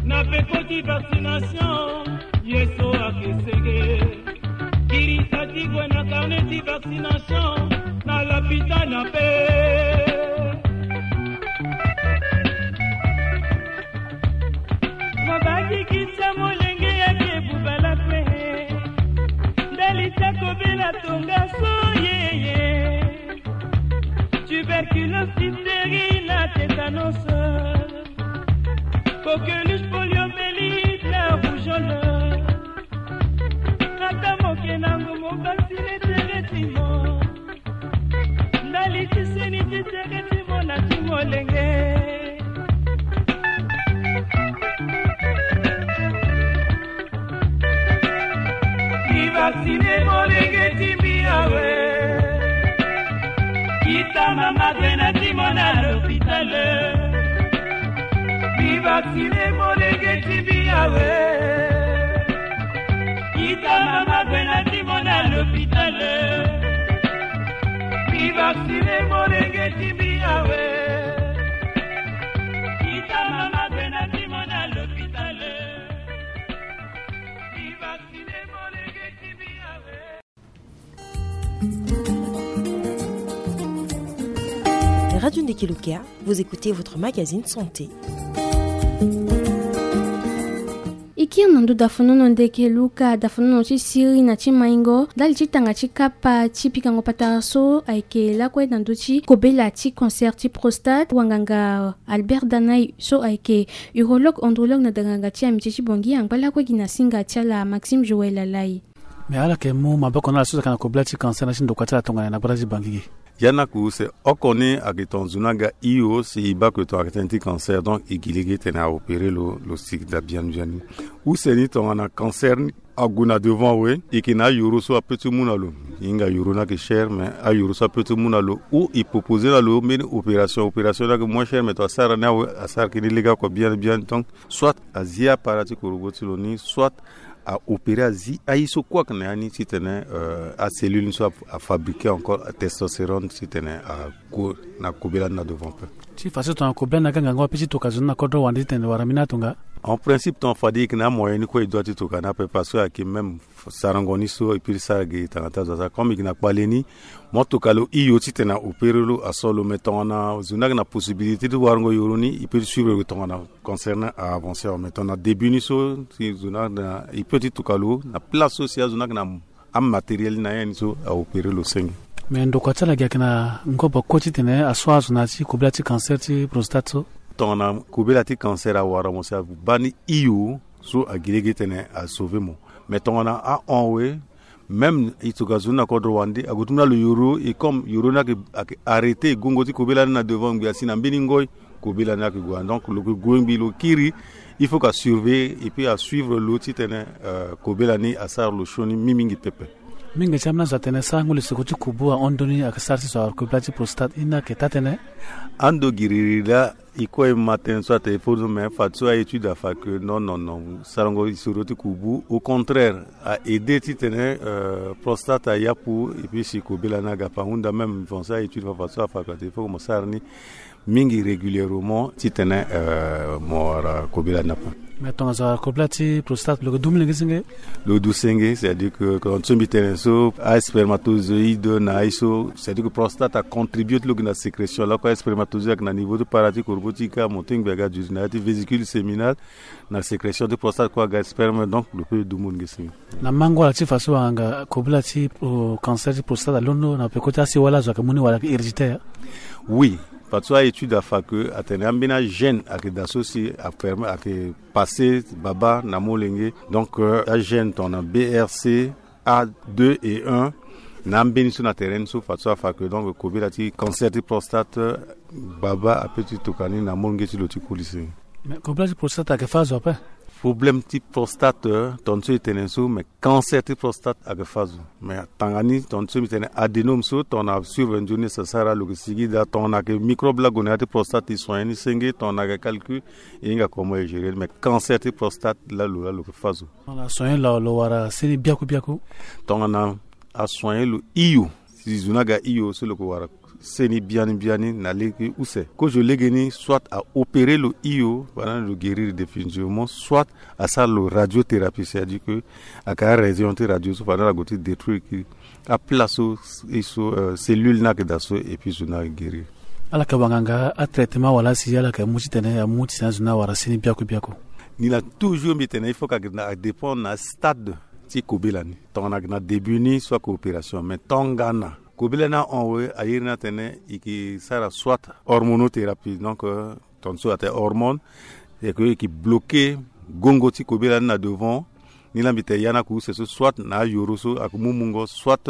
Na peko ti vaccination, ye so ake sege. Girisa ti gue na carnet ti vaccination na l'hôpital ape. Mo bangikisa molenge yake bubala kue. Ndali ti akobela tongaso yeye. Tuber Diphtérie na tétanos, coqueluche, poliomyélite na rougeole. Ata moke na ngo mo vaccine tere ti mo. Ndali ti seni ti tere ti mo na ti molenge. Mi vaccine molenge ti mbi awe. Kita mama gwe na ti mo na l'hôpital. Mi vaccine molenge ti mbi awe. Kita mama gwe na ti mo na l'hôpital. Mi vaccine molenge ti mbi awe. Kita mama gwe na ti mo na l'hôpital. Mi vaccine molenge ti mbi awe. Radio Ndeke Luka, vous écoutez votre magazine santé. E kiri na ndo dafanono Ndeke Luka, dafanono ti siriri na ti maingo ndali ti tanga ti kapa ti pikango patara so ayeke lakue na ndö ti kobela ti cancer ti prostate. Wanganga Albert Danay so ayeke urologue andrologue na danganga ti amitié ti Bangui angba lakue gi na singa ti ala Maxime Joël Alay. Me ala yeke mu maboko na ala so ayeke na kobela ti cancer na ti ndokua ti ala tongana na gbata ti Bangui gi. Ya ni akususe oko ni ayeke tongana zo ni aga hio si e baa ke tongana ayeke tënë ti cancer, donc e gi lege titene a opéré lo, lo si daa biani biani. Use ni tongana cancer ni ague na devant awe, e yeke na ayoro so apeut ti mu na lo. E hinga yoro ni ayeke cher, mais ayoro so apeut ti mu na lo ou e proposé na lo mbeni opération. Opération ni ayeke moins cher, mais tongana asara ni awe, asara yeke ni legeoko biani biani. Donc soit azi appareil ti korobo ti lo ni, soit a opéré azi aye so kue ayeke na ya ni titene, euh, acellule ni so a, a fabriqué encore testostérone titene ague na kobela ni na devant ape. Ti fa so tongana kobela ni aga ngangu ape ti toka zo ni na kodro wande titene wara mbeni atonga. En principe tongana fade e yeke na amoyen ni kue e doit ti toka ni ape parce que ayeke même sarango ni so e peut ti sara ge tanga ti azo asara. Comme e yeke na kpale ni, mo toka lo hio titene a opéré lo, aso lo, mais tongana zo ni ayeke na possibilité ti warango yoro ni, e peut ti suivre lo tongana cancer ni a avancé awe. Mais tongana début ni so si zo ni ayeke na, e peut ti toka lo na place so si azo ni ayeke na amatériel ni na ya ni so a opéré lo senge. Mais ndokua ti ala gi ayeke na ngobo kue titene aso azo na ya ti kobela ti cancer ti prostate so. Tongana kobela ti cancer awara mo si abaa ni hio so agi lege titene a sauvé mo. Mais tongana ahon awe, même e toka zo ni na kodro wande, ague ti mu na lo yoro, et comme yoro ni ayeke, ayeke arrêté, e gongo ti kobela ni na devant ngbi asi na mbeni ngoi, kobela ni ayeke gue. Donc lo yeke gue ngbi lo kiri, il faut que a surveiller et puis a suivre lo titene, euh, kobela ni asara lo sioni mingi mingi pepe. Mingi ti ambeni azo atene sarango lisoko ti kubu ahon ndoni ayeke sara si zo awara kobela ti prostate, e ni ayeke taa tënë? Ando giriri laa, e kue e ma tënë so atene e fo, mais fadeso a-étude afa que non, non, non, sarango lisoro ti kubu, au contraire, a aidé titene, euh, prostate ayapu, et puis si kobela ni aga ape. Ahunda même mo sara a-étude fa, fadeso afa que atene il faut que mo sara ni mingi régulièrement titene, euh, mo wara kobela ni ape. Mais tongana zo awara kobela ti prostate lo yeke du molenge senge? Lo du senge, c'est-à-dire que, comme so mbi tene so, aspermatozoïde na aye so, c'est-à-dire que prostate acontribué ti lo gi na sécrétion. Lako aspermatozoïde ayeke na niveau ti para ti korobo ti ka, mo tingbi aga duti na ya ti vésicule séminale, na sécrétion ti prostate kue aga sperme, donc lo peut du molenge senge. Na mango ala ti fa so wanganga kobela ti, euh, cancer ti prostate alondo na peko ti asiwala, azo ayeke mu ni wala ayeke héréditaire? Oui, fadeso a-étude afa que atene ambeni agène ayeke daa so si apermet, ayeke passé baba na molenge. Donc, euh, agène tongana B R C A deux et un na ambeni so na tere ni so, fadeso afa que donc kobela ti cancer ti prostate, euh, baba apeut ti toka ni na molenge ti lo ti koli senge. Mais kobela ti prostate ayeke fâ azo ape? Problème ti prostate, euh, tongana so e tene so, mais cancer ti prostate ayeke fâ azo. Mais tanga ni tongana so mbi tene adénome so, tongana a suivre nzoni, asara lo yeke sigi daa. Tongana ayeke microbe laa ague na ya ti prostate, e soigné ni senge. Tongana ayeke calcul, e hinga comment e gérer ni. Mais cancer ti prostate laa lo, laa lo yeke fâ azo. Tongana a soigné lo, lo wara seni biaku biaku? Tongana a soigné lo hio, si zo ni aga hio so lo yeke wara seni biani biani na lege use. Kozo lege ni, soit a opéré lo hio, fade na lo guérir définitivement, soit asara lo radiothérapie, c'est-à-dire que ayeke arégion ti radio so fade na lo ague ti détruire ki aplace so, so, euh, cellule ni ayeke daa so, et puis zo ni aguérir. Ala yeke wanganga atraitement wala si ala yeke mu titene amu titene azo ni awara seni biaku biaku? Ni laa toujours mbi tene il faut que ayeke na, adépend na stade ti kobela ni. Tongana ayeke na début ni, soit ayeke opération, mais tongana Kobela ni ahon awe, a iri ni atene e ke sara soit hormonothérapie, donc euh, tonso atene hormone, e ke e ke bloquer gongo ti kobela ni na devant. Ni la mbi tene ya ni aku use so, soit na ayoro so aku mu mungo, soit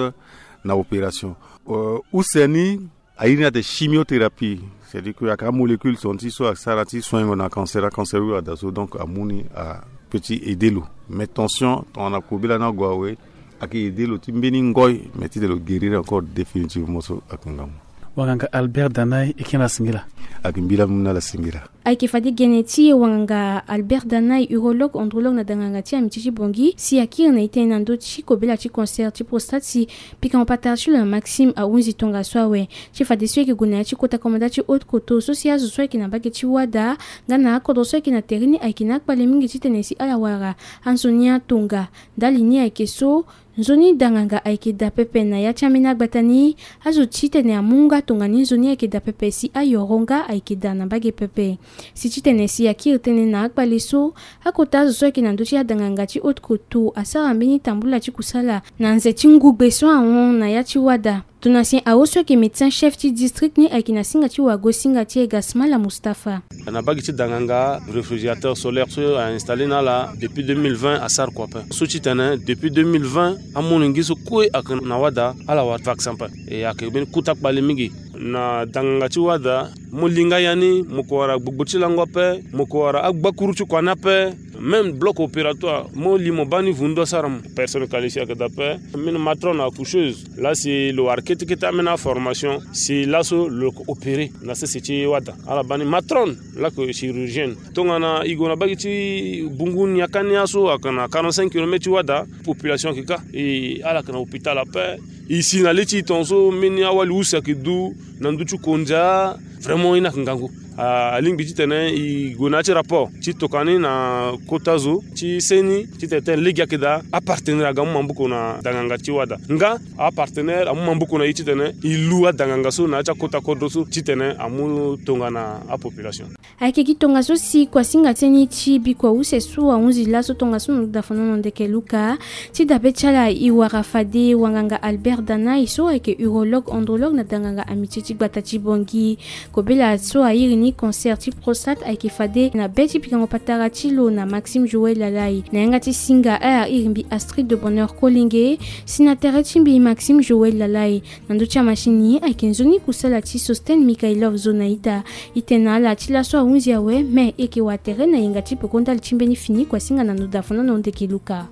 na opération. Euh, use ni a iri ni atene chimiothérapie, c'est-à-dire que aka molécule so ti so asara ti soingo na cancer, acancer wi ada so, donc amu ni a petit aide lo. Mais tension tongana kobela ni ague awe, ake aide lo ti mbeni ngoi, mais ti tene lo guérir encore définitivement so ake ngangu. Wanganga Albert Danai, e ke na singila. Ake mbila mu na la singila. Ayeke fade gene ti wanganga Albert Danai, urologue, andrologue na danganga ti amitié ti Bangui, si akiri na e tënë na ndö ti kobela ti cancer ti prostate si pikango patara ti lo na Maxime ahunzi tongaso awe. Ti fadeso e yeke gue na ya ti kota komanda ti Haute-Kotto so si azo so ayeke na mbage ti wada nga na akodro so ayeke na tere ni ayeke na akpale mingi titene si ala wara anzoni atonga. Ndali ni ayeke so, nzoni danganga ayeke daa pepe na ya ti ambeni agbata ni. Azo titene amu nga tongana ni nzoni ayeke daa pepe si ayoro nga ayeke daa na mbage pepe. Si titene si akiri tënë na akpale so, akota azo so ayeke na ndö ti adanganga ti Haute-Kotto asara mbeni tambula ti kusala na nze ti ngugbe so ahon na ya ti wada. Donatien Awo so ayeke médecin chef ti district ni ayeke na singa ti wago singa ti e Gasmala Mustapha. Na mbage ti danganga, réfrigérateur solaire so a installé na ala depuis deux mille vingt asara kua ape. So titene depuis deux mille vingt amolenge so kue ayeke na wada ala wara vaccin ape. E ayeke mbeni kota kpale mingi. Na danganga ti wada, mo li nga ya ni, mo ko wara gbogbo ti lango ape, mo ko wara agbakuru ti kua ni ape. Même bloc opératoire, mo li mo baa ni vundu asara mo. Personne qualifiée ayeke daa ape. Ambeni matrone accoucheuse, laa si lo wara kete kete ambeni aformation, si laso lo yeke opéré na sese ti wada. Ala baa ni matrone, laa yeke chirurgienne. Tongana e gue na mbage ti Bungu Niakania so ayeke na quarante-cinq kilomètres ti wada, population ayeke kâ. E ala yeke na hôpital ape. E si na le ti e tongaso mbeni awali use ayeke du na ndö ti kondia. Vraiment ye ni ayeke ngangu. Alingbi titene e gue na ya ti rapport ti tokua ni na kota zo ti seni titene tene lege ayeke daa, apartenaire aga amu maboko na danganga ti wada nga apartenaire amu maboko na e titene e lu adanganga so na ya ti akota kodro so titene amu tongana apopulation. Ayeke gi tongaso si kuasinga ti e ni ti bikua use so ahunzi laso tongaso na ndo dafonono ndeke luka. Ti dabe ti ala e wara fade wanganga Albert Danai so ayeke urologue andrologue na danganga amitié ti gbata ti Bangui. Kobela so airi ni cancer ti prostate ayeke fade na be ti pikango patara ti lo na Maxime Joël Lalai. Na yanga ti singa ala iri mbi Astrid de Bonheur Kolenge, si na tere ti mbi Maxime Joël Lalai. Na ndö ti amachine ni ayeke nzoni kusala ti Sostène Mikhailov Zonaïda. E tene na ala ti laso ahunzi awe, me e yeke wara tere na yenga ti peko ndali ti mbeni fini kuasinga na ndo dafonono ndeke luka.